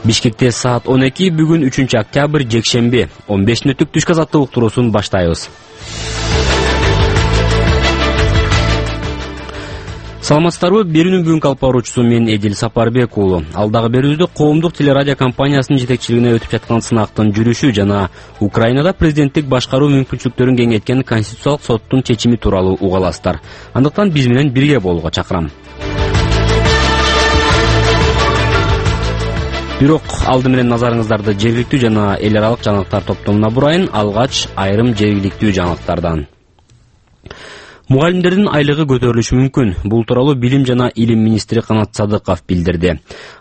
Бишкекте саат 12 бүгүн 3-октябрь жекшемби 15 мүнөттүк түшкү азаттык уктуруусун баштайбыз. Саламатсыздарбы? Берүүнүн бүгүнкү алып баруучусу мен Эдил Сапарбек уулу. Алдагы берүүбүздө коомдук телерадио компаниясынын жетекчилигине өтүп жаткан сынактын жүрүшү жана Украинада президенттик башкаруу мүмкүнчүлүктөрүн кеңейткен Конституциялык соттун чечими тууралуу уга аласыздар. Андыктан биз менен бирге болууга чакырам. Бирок алды менен назарыңыздарды жергиликтүү жана эл аралык жаңылыктар топтомуна бурайын. Алгач айрым жергиликтүү жаңылыктардан. Мугалимдердин айлыгы көтөрүлүшү мүмкүн. Бул тууралуу Билим жана Илим министри Канат Садыков билдирди.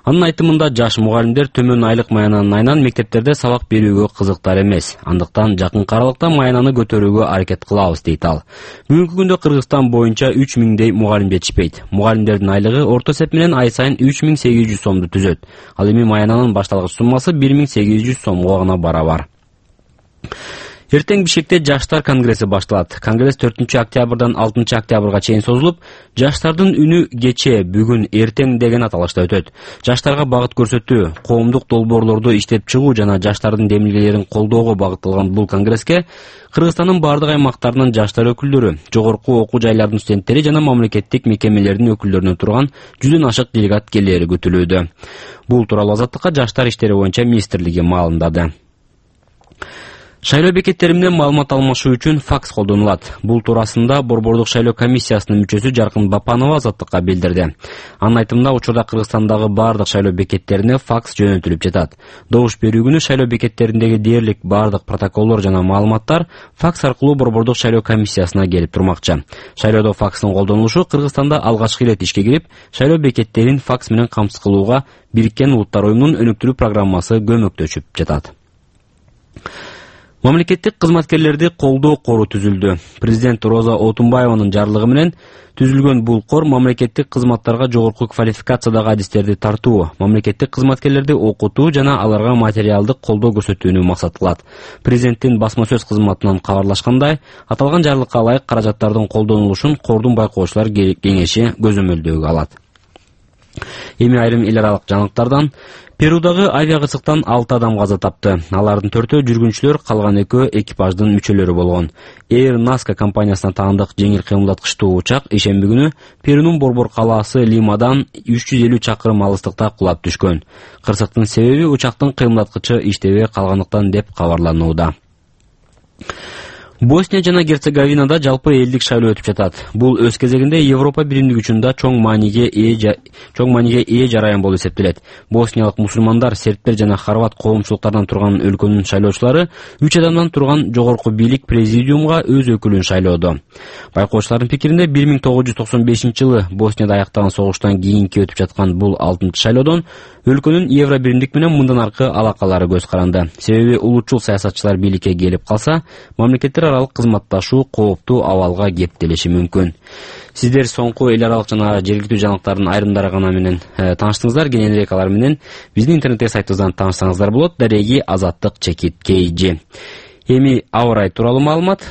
Анын айтымында жаш мугалимдер төмөн айлык маянанын айынан мектептерде сабак берүүгө кызыктар эмес. Андыктан жакынкы аралыкта маянаны көтөрүүгө аракет кылабыз дейт ал. Бүгүнкү күндө Кыргызстан боюнча 3000дей мугалим жетишпейт. Мугалимдердин айлыгы орто эсеп менен ай сайын 3800 сомду түзөт. Ал эми маянанын башталгыч суммасы 1800 сомго гана барабар. Эртең Бишкекте жаштар конгресси башталат. Конгресс 4-октябрдан 6-октябрга чейин созулуп, жаштардын үнү кечээ, бүгүн, эртең деген аталышта өтөт. Жаштарга багыт көрсөтүү, коомдук долбоорлорду иштеп чыгуу жана жаштардын демилгелерин колдоого багытталган бул конгресске Кыргызстандын бардык аймактарынын жаштар өкүлдөрү, жогорку окуу жайлардын студенттери жана мамлекеттик мекемелердин өкүлдөрүнөн турган 100дөн ашык делегат келери күтүлүүдө. Бул тууралуу Азаттыкка жаштар иштери боюнча министрлиги маалымдады. Шайлоо бекеттери менен маалымат алмашуу үчүн факс колдонулат. Бул туурасында Борбордук шайлоо комиссиясынын мүчөсү Жаркын Бапанова Азаттыкка билдирди. Анын айтымында учурда Кыргызстандагы бардык шайлоо бекеттерине факс жөнөтүлүп жатат. Добуш берүү күнү шайлоо бекеттериндеги дээрлик бардык протоколдор жана маалыматтар факс аркылуу Борбордук шайлоо комиссиясына келип турмакчы. Шайлоодо факстын колдонулушу Кыргызстанда алгачкы ирет ишке кирип, шайлоо бекеттерин факс менен камсыз кылууга Бириккен Улуттар уюмунун өнүктүрүү программасы көмөктөшүп жатат. Мамлекеттик кызматкерлерди колдоо кору түзүлдү. Президент Роза Отунбаеванын жарлыгы менен түзүлгөн бул кор мамлекеттик кызматтарга жогорку квалификациядагы адистерди тартуу, мамлекеттик кызматкерлерди окутуу жана аларга материалдык колдоо көрсөтүүнү максат кылат. Президенттин басма сөз кызматынан кабарлашкандай, аталган жарлыкка ылайык каражаттардын колдонулушун кордун байкоочулар кеңеши көзөмөлдөөгө алат. Эми айрым эл аралык жаңылыктардан. Перудагы авиакырсыктан 6 адам каза тапты. Алардын 4-өө жүргүнчүлөр, калган 2-өө экипаждын мүчөлөрү болгон. Air Nazca компаниясына таандык жеңил кыймылдаткычтуу учак ишемби күнү Перунун борбор калаасы Лимадан 350 чакырым алыстыкта кулап түшкөн. Кырсыктын себеби учактын кыймылдаткычы иштебей калганлыктан деп кабарланууда. Босния жана Герцеговинада жалпы элдик шайлоо өтүп жатат. Бул өз кезегинде Европа биримдиги учунда чоң мааниге ээ жараян болуп эсептелет. Босниялык мусулмандар, сербтер жана хорват коомчулуктарынан турган өлкөнүн шайлоочулары 3 адамдан турган жогорку бийлик президиумга өз өкүлүн шайлоодо. Байкоочулардын пикиринде 1995-жылы Боснияда аяктаган согуштан кийинки өтүп жаткан бул 6-чы шайлоодон өлкөнүн Евро биримдик менен мындан аркы алакалары көз каранды. Себеби улутчул саясатчылар бийликке келип калса, мамлекеттер аралык кызматташуу кооптуу абалга кептелиши мүмкүн. Сиздер соңку эл аралык жана жергиликтүү жаңылыктардын айрымдары гана менен тааныштыңыздар. Кененирээк алар менен биздин интернеттеги сайтыбыздан таанышсаңыздар болот. Дареги Азаттык чекит KG. Эми аба ырайы тууралуу маалымат.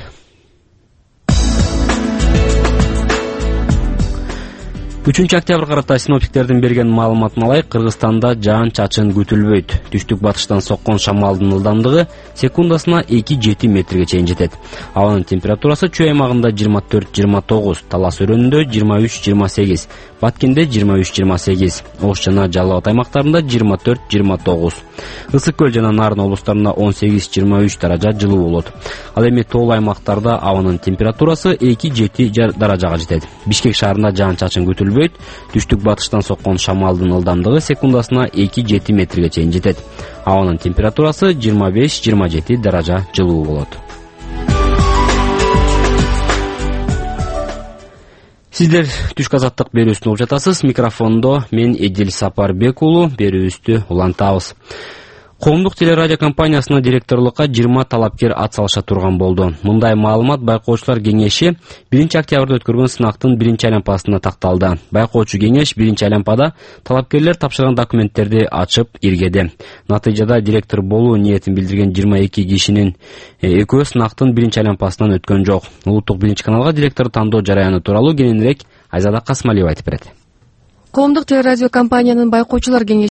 3-октябрга карата синоптиктердин берген маалыматына ылайык Кыргызстанда жаан-чачын күтүлбөйт. Түштүк батыштан соккон шамалдын ылдамдыгы секундасына 2-7 метрге чейин жетет. Абанын температурасы Чүй аймагында 24-29, Талас өрөөнүндө 23-28, Баткенде 23-28, Ош жана Жалал Абад аймактарында 24-29. Ысык көл жана Нарын облустарында 18-23 даража жылуу болот. Ал эми тоолуу аймактарда абанын температурасы 2-7 даражага жетет. Бишкек шаарында жаан-чачын күтүлбөйт. Түштүк батыштан соккон шамалдын ылдамдыгы секундасына 2-7 метрге чейин жетет. Абанын температурасы 25-27 даража жылуу болот. Сиздер түшкү азаттык берүүсүн угуп жатасыз. Микрофондо мен Эдил Сапарбек уулу, берүүбүздү улантабыз. Коомдук телерадио компаниясына директорлукка 20 талапкер ат салыша турган болду. Мындай маалымат байкоочулар кеңеши 1-октябрда өткөргөн сынактын 1-айланпасына такталды. Байкоочу кеңеш 1-айланпада талапкерлер тапшырган документтерди ачып иргеди. Натыйжада директор болуу ниетин билдирген 22 кишинин экөө сынактын 1-айланпасынан өткөн жок. Улуттук 1-каналга директор тандоо жараяны тууралуу кененирээк Айзада Касмалиева айтып берет. Коомдук телерадио компаниянын байкоочулар кеңеши